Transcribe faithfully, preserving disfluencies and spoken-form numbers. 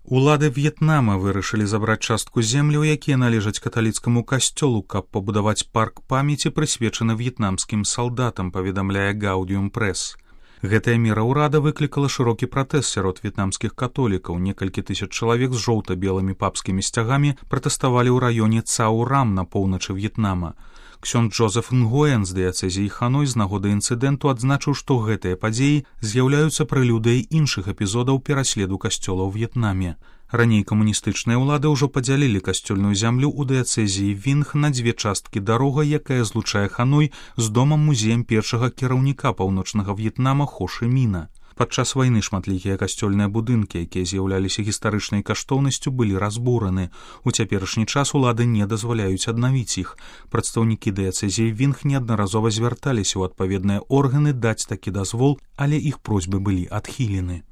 Улады В'етнама вырашылі забраць частку земляў, якія належаць каталіцкаму касцёлу, каб пабудаваць парк памяці, прысвечаны в'етнамскім салдатам, паведамляе Гаўдіум Прэс. Гэтая мера ўрада выклікала шырокі пратэст сярод в'етнамскіх католікаў. Некалькі тысяч чалавек з жоўта-белымі папскімі сцягамі пратэставалі ў раёне Цау-Рам на поўначы В'етнама. Ксёнд Джозеф Нгоен з дыяцэзіі Ханой з нагоды інцыдэнту адзначыў, што гэтыя падзеі з'яўляюцца прэлюдыяй іншых эпізодаў пераследу касцёла ў В'етнаме. Раней камуністычныя ўлады ўжо падзялілі касцёльную зямлю ў дыяцэзіі Вінг на дзве часткі дарога, якая злучае Ханой з домам-музеем першага кіраўніка паўночнага В'етнама Хо Ши Міна. Падчас вайны шматлікія касцёльныя будынкі, якія з'яўляліся гістарычнай каштоўнасцю, былі разбураны. У цяперашні час улады не дазваляюць аднавіць іх. Прадстаўнікі дыяцэзіі Вінг неаднаразова звярталіся ў адпаведныя органы даць такі дазвол, але іх просьбы былі адхілены.